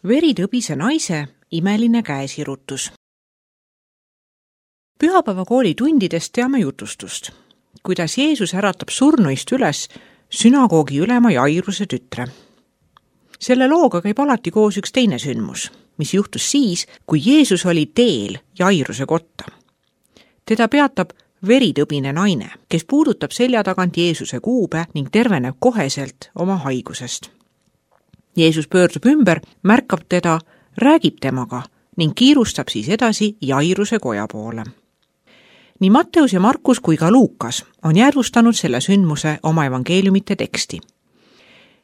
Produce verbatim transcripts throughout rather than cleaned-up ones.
Veritõbise naise imeline käesirutus. Pühapäevakooli tundidest teame jutustust, kuidas Jeesus äratab surnuist üles sünagoogi ülema Jairuse tütre. Selle looga käib alati koos üks teine sündmus, mis juhtus siis, kui Jeesus oli teel Jairuse kotta. Teda peatab veritõbine naine, kes puudutab selja tagant Jeesuse kuube ning terveneb koheselt oma haigusest. Jeesus pöördub ümber, märkab teda, räägib temaga ning kiirustab siis edasi Jairuse koja poole. Nii Matteus ja Markus kui ka Luukas on jäädvustanud selle sündmuse oma evangeeliumite teksti.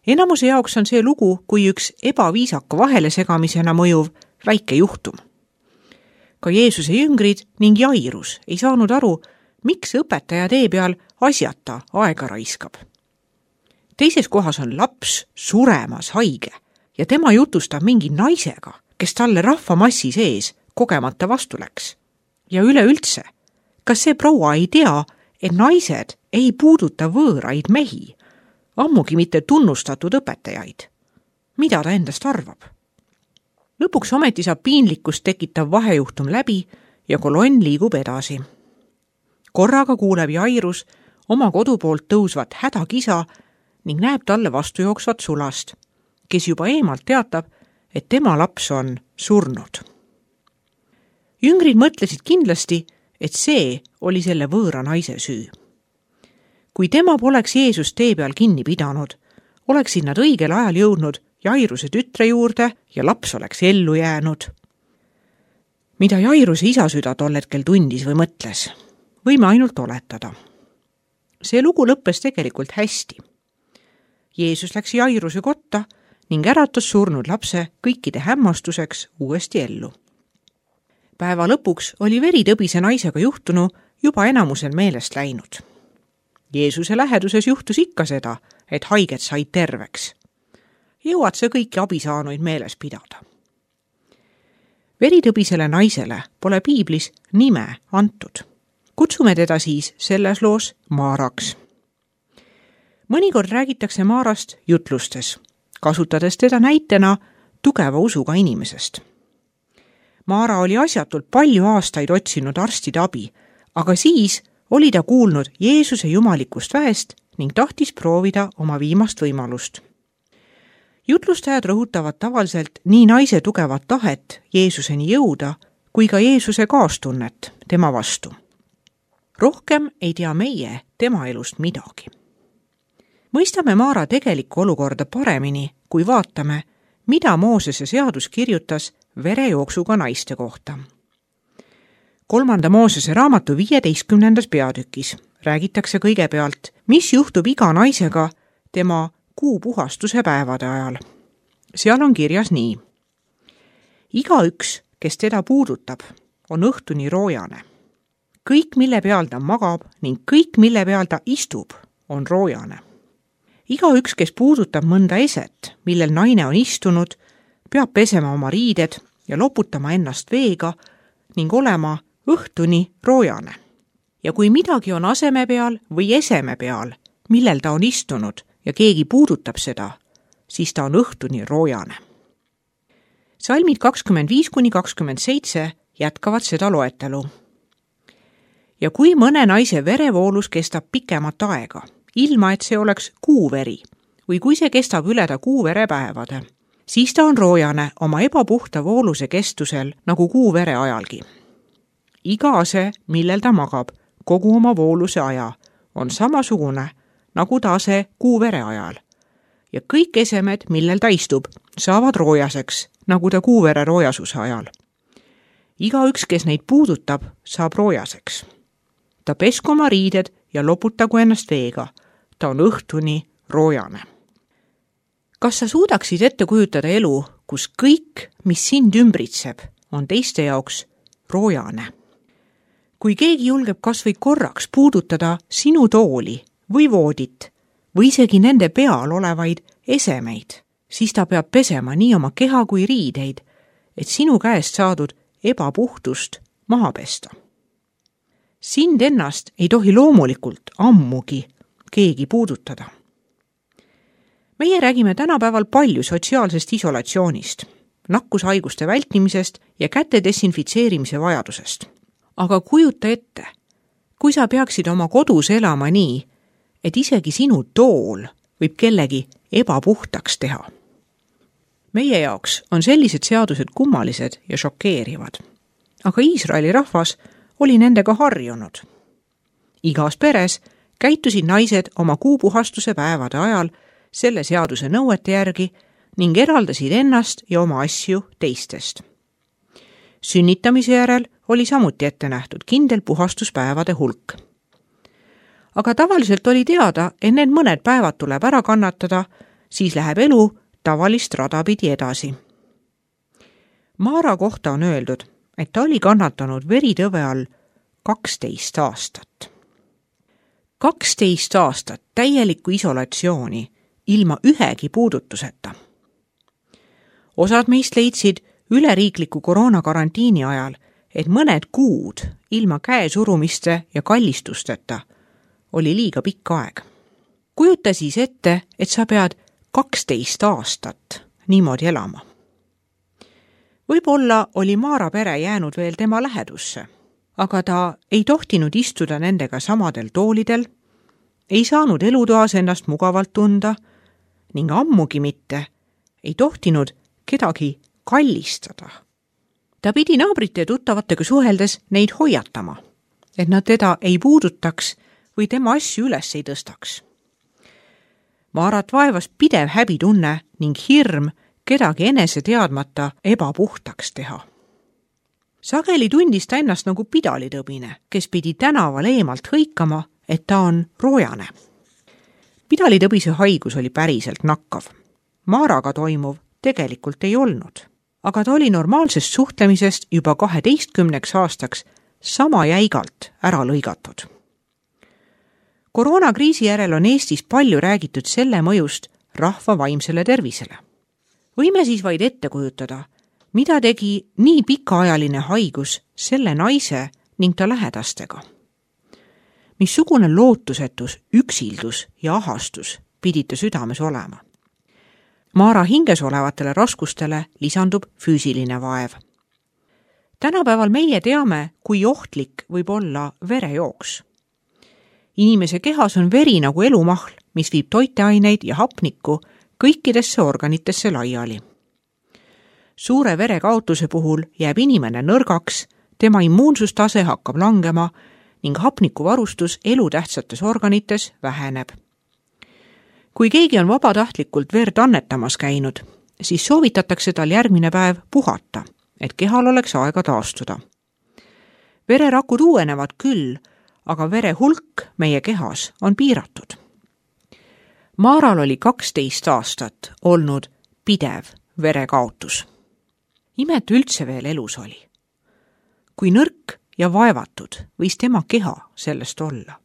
Enamuse jaoks on see lugu kui üks ebaviisaka vahelesegamisena mõjuv väike juhtum. Ka Jeesuse jüngrid ning Jairus ei saanud aru, miks õpetaja tee peal asjata aega raiskab. Teises kohas on laps suremas haige ja tema jutustab mingi naisega, kes talle rahvamassi sees kogemata vastu läks. Ja üleüldse, kas see proua ei tea, et naised ei puuduta võõraid mehi, ammugi mitte tunnustatud õpetajaid? Mida ta endast arvab? Lõpuks ometi saab piinlikkust tekitav vahejuhtum läbi ja kolonn liigub edasi. Korraga kuuleb Jairus oma kodu poolt tõusvat hädakisa ning näeb talle vastu jooksvat sulast, kes juba eemalt teatab, et tema laps on surnud. Jüngrid mõtlesid kindlasti, et see oli selle võõra naise süü. Kui tema poleks Jeesus tee peal kinni pidanud, oleksid nad õigel ajal jõudnud Jairuse tütre juurde ja laps oleks ellu jäänud. Mida Jairuse isa süda tol hetkel tundis või mõtles, võime ainult oletada. See lugu lõppes tegelikult hästi. Jeesus läks Jairuse kotta ning äratas surnud lapse kõikide hämmastuseks uuesti ellu. Päeva lõpuks oli veritõbise naisega juhtunu juba enamusel meelest läinud. Jeesuse läheduses juhtus ikka seda, et haiged said terveks. Jõuad see kõiki abisaanuid meeles pidada. Veritõbisele naisele pole piiblis nime antud. Kutsume teda siis selles loos Maaraks. Mõnikord räägitakse Maarast jutlustes, kasutades teda näitena tugeva usuga inimesest. Maara oli asjatult palju aastaid otsinud arstide abi, aga siis oli ta kuulnud Jeesuse jumalikust väest ning tahtis proovida oma viimast võimalust. Jutlustajad rõhutavad tavaliselt nii naise tugevat tahet Jeesuseni jõuda, kui ka Jeesuse kaastunnet tema vastu. Rohkem ei tea meie tema elust midagi. Mõistame Maara tegelikku olukorda paremini, kui vaatame, mida Moosese seadus kirjutas verejooksuga naiste kohta. Kolmanda Moosese raamatu viieteistkümnendas peatükis räägitakse kõigepealt, mis juhtub iga naisega tema kuupuhastuse päevade ajal. Seal on kirjas nii. Igaüks, kes teda puudutab, on õhtuni roojane. Kõik, mille peal ta magab ning kõik, mille peal ta istub, on roojane. Igaüks, kes puudutab mõnda eset, millel naine on istunud, peab pesema oma riided ja loputama ennast veega ning olema õhtuni roojane. Ja kui midagi on aseme peal või eseme peal, millel ta on istunud ja keegi puudutab seda, siis ta on õhtuni roojane. Salmid kakskümmend viis kuni kakskümmend seitse jätkavad seda loetelu. Ja kui mõne naise verevoolus kestab pikemat aega, ilma et see oleks kuuveri, või kui see kestab üle ta kuuvere päevade, siis ta on roojane oma ebapuhta vooluse kestusel nagu kuuvere ajalgi. Iga ase, millel ta magab, kogu oma vooluse aja, on samasugune nagu ta ase kuuvere ajal. Ja kõik esemed, millel ta istub, saavad roojaseks, nagu ta kuuvere roojasuse ajal. Igaüks, kes neid puudutab, saab roojaseks. Ta pesku oma riided ja loputagu ennast veega. Ta on õhtuni roojane. Kas sa suudaksid ette kujutada elu, kus kõik, mis sind ümbritseb, on teiste jaoks roojane? Kui keegi julgeb kas või korraks puudutada sinu tooli või voodit või isegi nende peal olevaid esemeid, siis ta peab pesema nii oma keha kui riideid, et sinu käest saadud ebapuhtust maha pesta. Sind ennast ei tohi loomulikult ammugi keegi puudutada. Meie räägime tänapäeval palju sotsiaalsest isolatsioonist, nakkushaiguste vältimisest ja käte desinfitseerimise vajadusest. Aga kujuta ette, kui sa peaksid oma kodus elama nii, et isegi sinu tool võib kellegi ebapuhtaks teha. Meie jaoks on sellised seadused kummalised ja šokeerivad, aga Iisraeli rahvas oli nendega harjunud. Igas peres käitusid naised oma kuupuhastuse päevade ajal selle seaduse nõuete järgi ning eraldasid ennast ja oma asju teistest. Sünnitamise järel oli samuti ette nähtud kindel puhastuspäevade hulk. Aga tavaliselt oli teada, et need mõned päevad tuleb ära kannatada, siis läheb elu tavalist rada pidi edasi. Maara kohta on öeldud, et ta oli kannatanud veritõve all kaksteist aastat. kaksteist aastat täielikku isolatsiooni ilma ühegi puudutuseta. Osad meist leidsid üleriikliku koroonakarantiini ajal, et mõned kuud ilma käesurumiste ja kallistusteta oli liiga pikk aeg. Kujuta siis ette, et sa pead kaksteist aastat niimoodi elama. Võib-olla oli Maara pere jäänud veel tema lähedusse, aga ta ei tohtinud istuda nendega samadel toolidel, ei saanud elutoas ennast mugavalt tunda ning ammugi mitte ei tohtinud kedagi kallistada. Ta pidi naabrite ja tuttavatega suheldes neid hoiatama, et nad teda ei puudutaks või tema asju üles ei tõstaks. Maarat vaevas pidev häbitunne ning hirm kedagi enese teadmata ebapuhtaks teha. Sageli tundis ta ennast nagu pidalitõbine, kes pidi tänaval eemalt hõikama, et ta on roojane. Pidalitõbise haigus oli päriselt nakkav. Maaraga toimuv tegelikult ei olnud, aga ta oli normaalsest suhtlemisest juba kaheteistkümneks aastaks sama jäigalt ära lõigatud. Koroonakriisi järel on Eestis palju räägitud selle mõjust rahva vaimsele tervisele. Võime siis vaid ette kujutada, mida tegi nii pikaajaline haigus selle naise ning ta lähedastega. Missugune lootusetus, üksildus ja ahastus pidi ta südames olema. Maara hinges olevatele raskustele lisandub füüsiline vaev. Tänapäeval meie teame, kui ohtlik võib olla verejooks. Inimese kehas on veri nagu elumahl, mis viib toiteaineid ja hapnikku kõikidesse organitesse laiali. Suure verekaotuse puhul jääb inimene nõrgaks, tema immuunsustase hakkab langema ning hapnikuvarustus elutähtsates organites väheneb. Kui keegi on vabatahtlikult verd annetamas käinud, siis soovitatakse tal järgmine päev puhata, et kehal oleks aega taastuda. Vererakud uuenevad küll, aga vere hulk meie kehas on piiratud. Maaral oli kaksteist aastat olnud pidev verekaotus. Imetu üldse veel elus oli. Kui nõrk ja vaevatud võis tema keha sellest olla.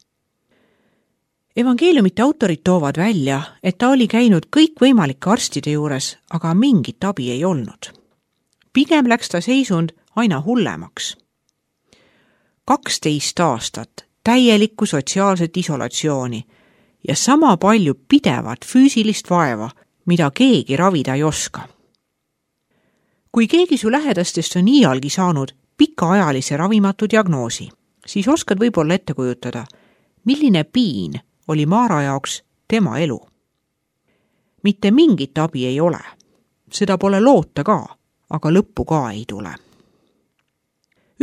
Evangeeliumite autorid toovad välja, et ta oli käinud kõikvõimalike arstide juures, aga mingit abi ei olnud. Pigem läks ta seisund aina hullemaks. kaksteist aastat täielikku sotsiaalset isolatsiooni ja sama palju pidevat füüsilist vaeva, mida keegi ravida ei oska. Kui keegi su lähedastest on iialgi saanud pikaajalise ravimatu diagnoosi, siis oskad võib-olla ette kujutada, milline piin oli Maara jaoks tema elu. Mitte mingit abi ei ole. Seda pole loota ka, aga lõppu ka ei tule.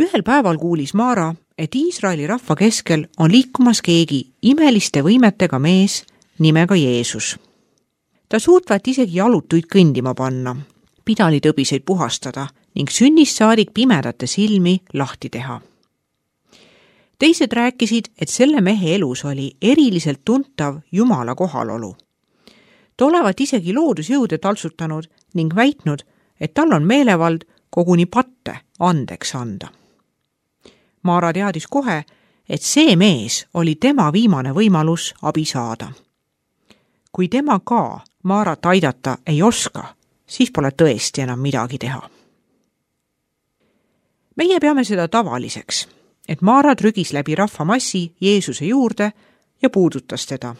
Ühel päeval kuulis Maara, et Iisraeli rahva keskel on liikumas keegi imeliste võimetega mees nimega Jeesus. Ta suutvat isegi jalutuid kõndima panna, pidalitõbiseid puhastada ning sünnist saadik pimedate silmi lahti teha. Teised rääkisid, et selle mehe elus oli eriliselt tuntav Jumala kohalolu. Ta olevat isegi loodusjõude taltsutanud ning väitnud, et tal on meelevald koguni patte andeks anda. Maara teadis kohe, et see mees oli tema viimane võimalus abi saada. Kui tema ka Maarat aidata ei oska, siis pole tõesti enam midagi teha. Meie peame seda tavaliseks, et Maara trügis läbi rahvamassi Jeesuse juurde ja puudutas teda.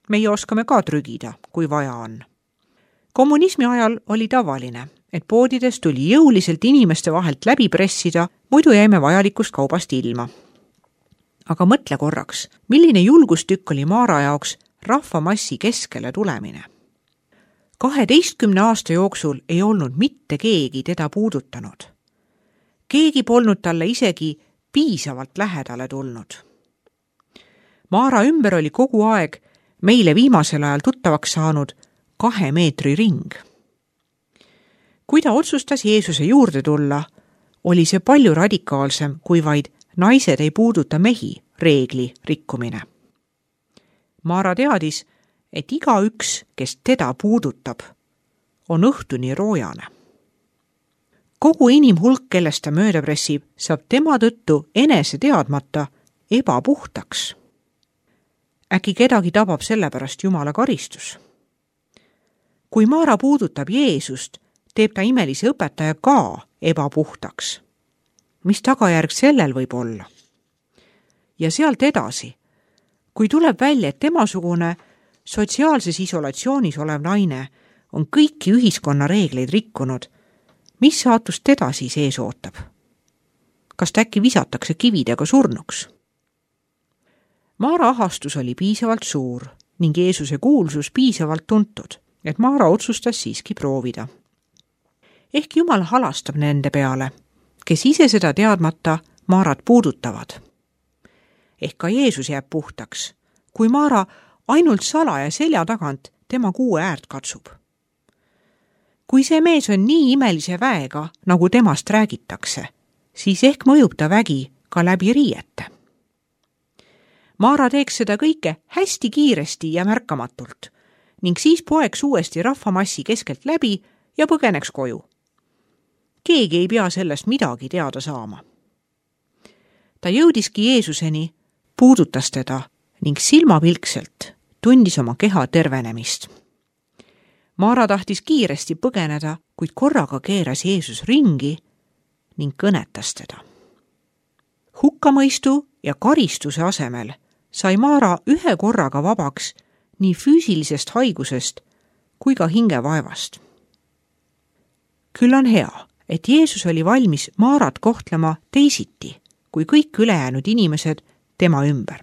Meie oskame ka trügida, kui vaja on. Kommunismi ajal oli tavaline, et poodides tuli jõuliselt inimeste vahelt läbi pressida, muidu jäime vajalikust kaubast ilma. Aga mõtle korraks, milline julgustükk oli Maara jaoks rahvamassi keskele tulemine. kaheteistkümne aasta jooksul ei olnud mitte keegi teda puudutanud. Keegi polnud talle isegi piisavalt lähedale tulnud. Maara ümber oli kogu aeg meile viimasel ajal tuttavaks saanud kahe meetri ring. Kui ta otsustas Jeesuse juurde tulla, oli see palju radikaalsem kui vaid naised ei puuduta mehi reegli rikkumine. Maara teadis, et igaüks, kes teda puudutab, on õhtuni roojane. Kogu inimhulk, kellest ta mööda pressib, saab tema tõttu enese teadmata ebapuhtaks. Äkki kedagi tabab sellepärast Jumala karistus. Kui Maara puudutab Jeesust, teeb ta imelise õpetaja ka ebapuhtaks. Mis tagajärg sellel võib olla? Ja sealt edasi, kui tuleb välja, et temasugune sotsiaalses isolatsioonis olev naine on kõiki ühiskonna reegleid rikkunud, mis saatust teda siis ees ootab? Kas ta äkki visatakse kividega surnuks? Maara ahastus oli piisavalt suur ning Jeesuse kuulsus piisavalt tuntud, et Maara otsustas siiski proovida. Ehk Jumal halastab nende peale, kes ise seda teadmata Maarat puudutavad. Ehk ka Jeesus jääb puhtaks, kui Maara ainult salaja selja tagant tema kuue äärt katsub. Kui see mees on nii imelise väega, nagu temast räägitakse, siis ehk mõjub ta vägi ka läbi riiete. Maara teeks seda kõike hästi kiiresti ja märkamatult ning siis poeks uuesti rahvamassi keskelt läbi ja põgeneks koju. Keegi ei pea sellest midagi teada saama. Ta jõudiski Jeesuseni, puudutas teda ning silmapilkselt tundis oma keha tervenemist. Maara tahtis kiiresti põgeneda, kuid korraga keeras Jeesus ringi ning kõnetas teda. Hukkamõistu ja karistuse asemel sai Maara ühe korraga vabaks nii füüsilisest haigusest kui ka hingevaevast. Küll on hea, et Jeesus oli valmis Maarat kohtlema teisiti kui kõik ülejäänud inimesed tema ümber.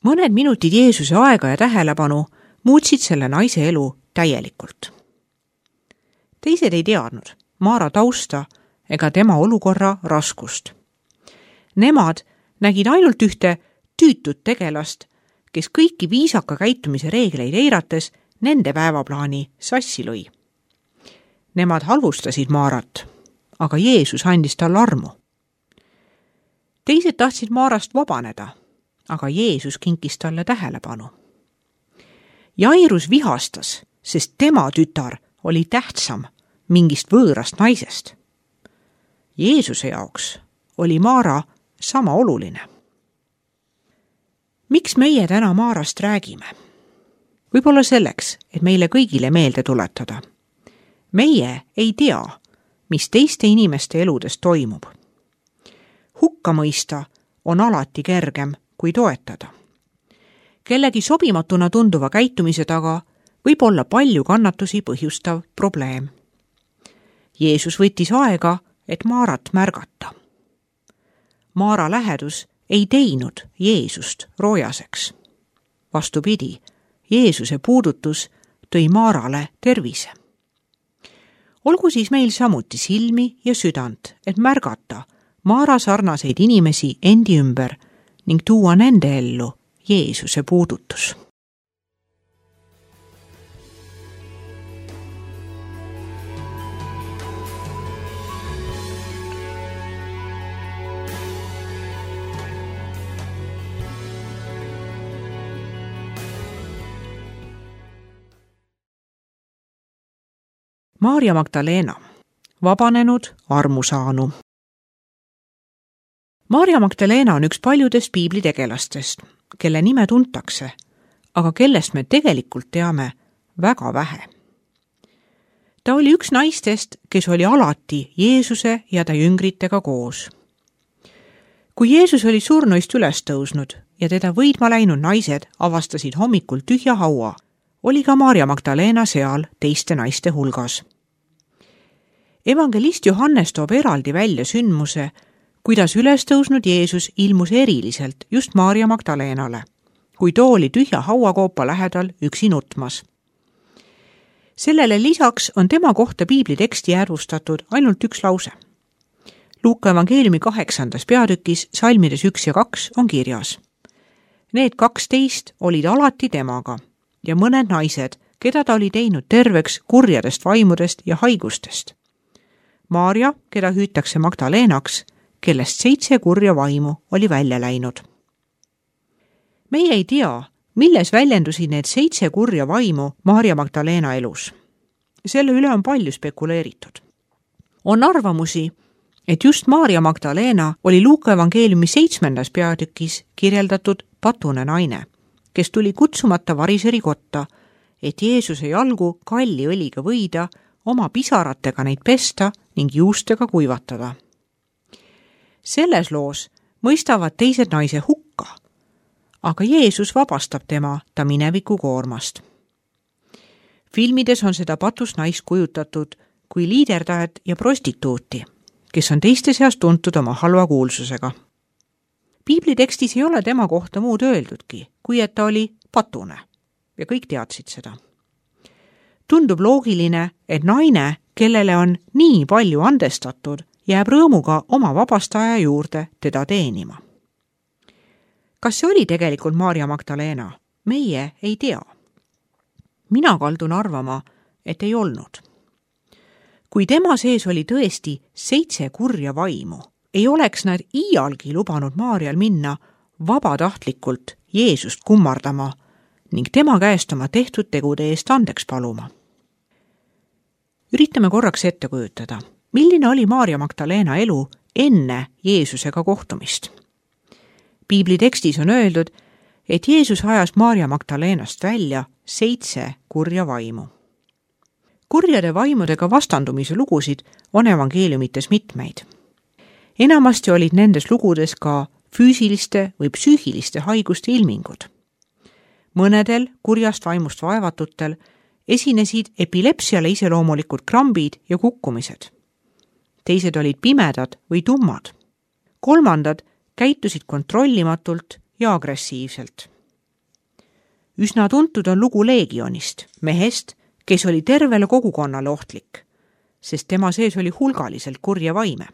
Mõned minutid Jeesuse aega ja tähelepanu muutsid selle naise elu täielikult. Teised ei teadnud Maara tausta ega tema olukorra raskust. Nemad nägid ainult ühte tüütut tegelast, kes kõiki viisaka käitumise reegleid eirates nende päevaplaani sassi lõi. Nemad halvustasid Maarat, aga Jeesus andis talle armu. Teised tahtsid Maarast vabaneda, aga Jeesus kinkis talle tähelepanu. Jairus vihastas, sest tema tütar oli tähtsam mingist võõrast naisest. Jeesuse jaoks oli Maara sama oluline. Miks meie täna Maarast räägime? Võib-olla selleks, et meile kõigile meelde tuletada. Meie ei tea, mis teiste inimeste eludes toimub. Hukka mõista on alati kergem kui toetada. Kellegi sobimatuna tunduva käitumise taga võib olla palju kannatusi põhjustav probleem. Jeesus võttis aega, et Maarat märgata. Maara lähedus ei teinud Jeesust roojaseks. Vastupidi, Jeesuse puudutus tõi Maarale tervise. Olgu siis meil samuti silmi ja südant, et märgata Maara sarnaseid inimesi endi ümber ning tuua nende ellu Jeesuse puudutus. Maarja Magdalena, vabanenud armusaanu. Maarja Magdalena on üks paljudest piiblitegelastest, kelle nime tuntakse, aga kellest me tegelikult teame väga vähe. Ta oli üks naistest, kes oli alati Jeesuse ja ta jüngritega koos. Kui Jeesus oli surnuist üles tõusnud ja teda võidma läinud naised avastasid hommikul tühja haua, oli ka Maarja Magdalena seal teiste naiste hulgas. Evangelist Johannes toob eraldi välja sündmuse, kuidas üles tõusnud Jeesus ilmus eriliselt just Maarja Magdalenale, kui too oli tühja hauakoopa lähedal üksi nutmas. Sellele lisaks on tema kohta piibliteksti järvustatud ainult üks lause. Luuka evangeeliumi kaheksandas peatükis salmides üks ja kaks on kirjas. Need kaksteist olid alati temaga ja mõned naised, keda ta oli teinud terveks kurjadest vaimudest ja haigustest. Maarja, keda hüütakse Magdalenaks, kellest seitse kurja vaimu oli välja läinud. Meie ei tea, milles väljendusid need seitse kurja vaimu Maarja Magdalena elus. Selle üle on palju spekuleeritud. On arvamusi, et just Maarja Magdalena oli Luuka evangeeliumi seitsmendas peatükis kirjeldatud patune naine, kes tuli kutsumata variseri kotta, et Jeesuse jalgu kalli õliga võida, oma pisaratega neid pesta ning juustega kuivatada. Selles loos mõistavad teised naise hukka, aga Jeesus vabastab tema ta mineviku koormast. Filmides on seda patust naist kujutatud kui liiderdajat ja prostituuti, kes on teiste seas tuntud oma halva kuulsusega. Piiblitekstis ei ole tema kohta muud öeldudki, kui et ta oli patune ja kõik teadsid seda. Tundub loogiline, et naine, kellele on nii palju andestatud, jääb rõõmuga oma vabastaja juurde teda teenima. Kas see oli tegelikult Maarja Magdalena? Meie ei tea. Mina kaldun arvama, et ei olnud. Kui tema sees oli tõesti seitse kurja vaimu, ei oleks nad iialgi lubanud Maarjal minna vabatahtlikult Jeesust kummardama ning tema käest oma tehtud tegude eest andeks paluma. Üritame korraks ette kujutada, milline oli Maarja Magdalena elu enne Jeesusega kohtumist. Piiblitekstis on öeldud, et Jeesus ajas Maarja Magdalenast välja seitse kurja vaimu. Kurjade vaimudega vastandumise lugusid on evangeeliumites mitmeid. Enamasti olid nendes lugudes ka füüsiliste või psüühiliste haiguste ilmingud. Mõnedel kurjast vaimust vaevatutel esinesid epilepsiale iseloomulikud krambid ja kukkumised. Teised olid pimedad või tummad. Kolmandad käitusid kontrollimatult ja agressiivselt. Üsna tuntud on lugu Leegionist, mehest, kes oli tervele kogukonnale ohtlik, sest tema sees oli hulgaliselt kurja vaime.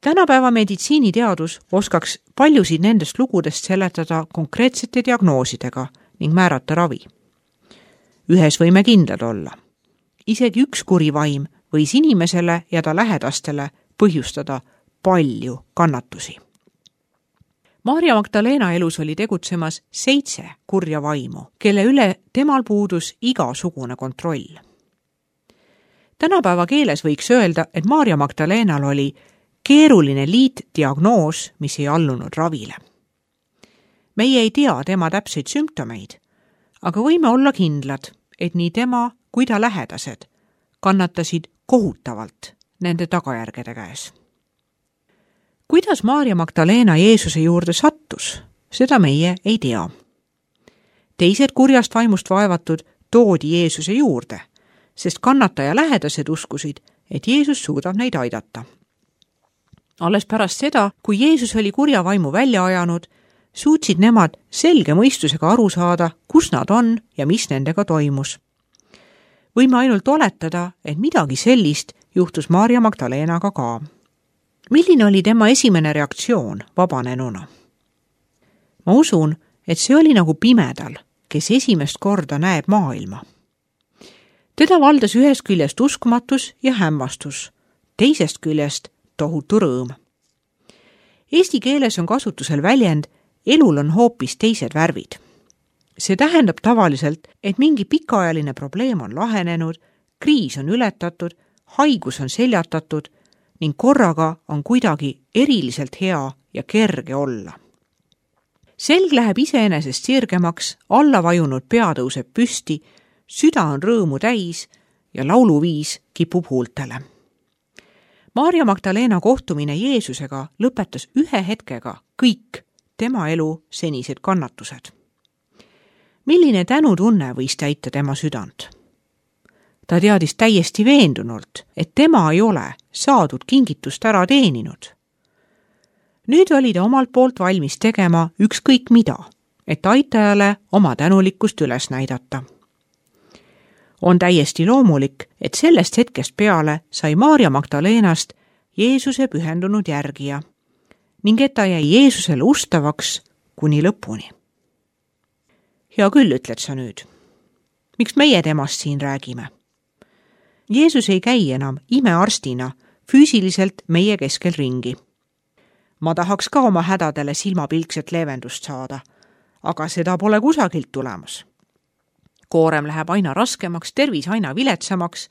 Tänapäeva meditsiiniteadus oskaks paljusid nendest lugudest seletada konkreetsete diagnoosidega ning määrata ravi. Ühes võime kindlad olla. Isegi üks kuri vaim võis inimesele ja ta lähedastele põhjustada palju kannatusi. Maarja Magdalena elus oli tegutsemas seitse kurja vaimu, kelle üle temal puudus igasugune kontroll. Tänapäeva keeles võiks öelda, et Maarja Magdalenal oli keeruline liitdiagnoos, mis ei allunud ravile. Meie ei tea tema täpseid sümptomeid, aga võime olla kindlad, et nii tema kui ta lähedased kannatasid kohutavalt nende tagajärgede käes. Kuidas Maarja Magdalena Jeesuse juurde sattus, seda meie ei tea. Teised kurjast vaimust vaevatud toodi Jeesuse juurde, sest kannataja lähedased uskusid, et Jeesus suudab neid aidata. Alles pärast seda, kui Jeesus oli kurja vaimu välja ajanud, suutsid nemad selge mõistusega aru saada, kus nad on ja mis nendega toimus. Võime ainult oletada, et midagi sellist juhtus Maarja Magdalenaga ka. Milline oli tema esimene reaktsioon vabanenuna? Ma usun, et see oli nagu pimedal, kes esimest korda näeb maailma. Teda valdas ühest küljest uskmatus ja hämmastus, teisest küljest tohutu rõõm. Eesti keeles on kasutusel väljend elul on hoopis teised värvid. See tähendab tavaliselt, et mingi pikaajaline probleem on lahenenud, kriis on ületatud, haigus on seljatatud ning korraga on kuidagi eriliselt hea ja kerge olla. Selg läheb iseenesest sirgemaks, alla vajunud pea tõuseb püsti, süda on rõõmu täis ja lauluviis kipub huultele. Maarja Magdalena kohtumine Jeesusega lõpetas ühe hetkega kõik tema elu senised kannatused. Milline tänutunne võis täita tema südant? Ta teadis täiesti veendunult, et tema ei ole saadud kingitust ära teeninud. Nüüd oli ta omalt poolt valmis tegema ükskõik mida, et aitajale oma tänulikkust üles näidata. On täiesti loomulik, et sellest hetkest peale sai Maarja Magdalenast Jeesuse pühendunud järgija ning et ta jäi Jeesusele ustavaks kuni lõpuni. Hea küll, ütled sa nüüd. Miks meie temast siin räägime? Jeesus ei käi enam imearstina füüsiliselt meie keskel ringi. Ma tahaks ka oma hädadele silmapilkset leevendust saada, aga seda pole kusagilt tulemas. Koorem läheb aina raskemaks, tervis aina viletsamaks,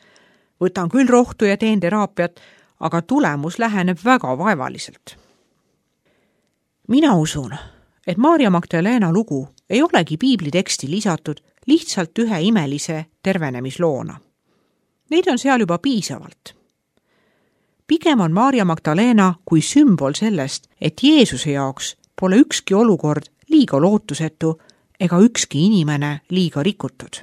võtan küll rohtu ja teen teraapiat, aga tulemus läheneb väga vaevaliselt. Mina usun, et Maarja Magdalena lugu ei olegi piibliteksti lisatud lihtsalt ühe imelise tervenemisloona. Neid on seal juba piisavalt. Pigem on Maarja Magdalena kui sümbol sellest, et Jeesuse jaoks pole ükski olukord liiga lootusetu ega ükski inimene liiga rikutud.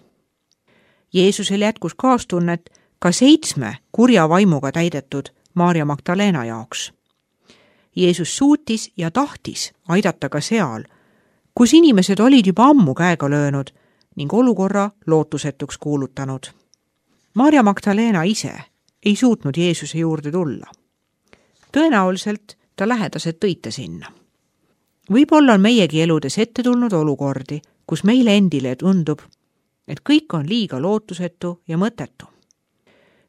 Jeesusel jätkus kaastunnet ka seitsme kurja vaimuga täidetud Maarja Magdalena jaoks. Jeesus suutis ja tahtis aidata ka seal, kus inimesed olid juba ammu käega löönud ning olukorra lootusetuks kuulutanud. Maarja Magdalena ise ei suutnud Jeesuse juurde tulla. Tõenäoliselt ta lähedased tõite sinna. Võib-olla on meiegi eludes ette tulnud olukordi, kus meile endile tundub, et kõik on liiga lootusetu ja mõttetu.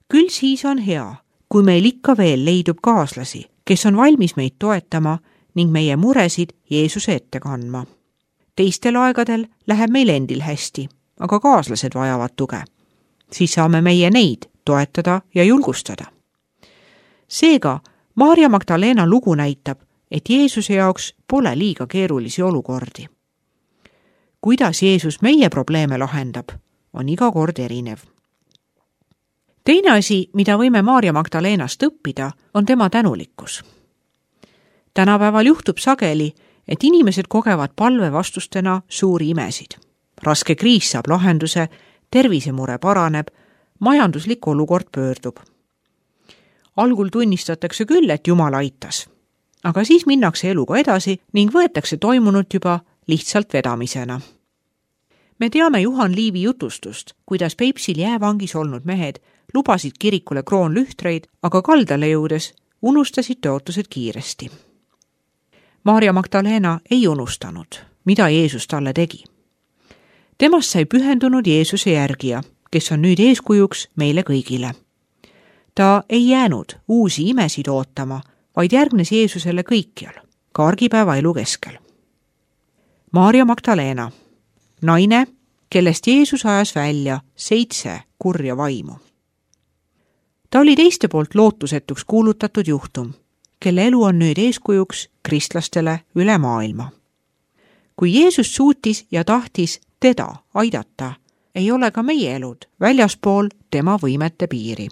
Küll siis on hea, kui meil ikka veel leidub kaaslasi, kes on valmis meid toetama ning meie muresid Jeesuse ette kandma. Teistel aegadel läheb meil endil hästi, aga kaaslased vajavad tuge. Siis saame meie neid toetada ja julgustada. Seega, Maarja Magdalena lugu näitab, et Jeesuse jaoks pole liiga keerulisi olukordi. Kuidas Jeesus meie probleeme lahendab, on iga kord erinev. Teine asi, mida võime Maarja Magdalenast õppida, on tema tänulikkus. Tänapäeval juhtub sageli, et inimesed kogevad palve vastustena suuri imesid. Raske kriis saab lahenduse, tervisemure paraneb, majanduslik olukord pöördub. Algul tunnistatakse küll, et Jumal aitas, aga siis minnakse eluga edasi ning võetakse toimunut juba lihtsalt vedamisena. Me teame Juhan Liivi jutustust, kuidas Peipsil jäävangis olnud mehed lubasid kirikule kroonlühtreid, aga kaldale jõudes unustasid tõotused kiiresti. Maarja Magdalena ei unustanud, mida Jeesus talle tegi. Temast sai pühendunud Jeesuse järgija, kes on nüüd eeskujuks meile kõigile. Ta ei jäänud uusi imesid ootama, vaid järgnes Jeesusele kõikjal, ka argipäeva elu keskel. Maarja Magdalena, naine, kellest Jeesus ajas välja seitse kurja vaimu. Ta oli teiste poolt lootusetuks kuulutatud juhtum, kelle elu on nüüd eeskujuks kristlastele üle maailma. Kui Jeesus suutis ja tahtis teda aidata, ei ole ka meie elud väljaspool tema võimete piiri.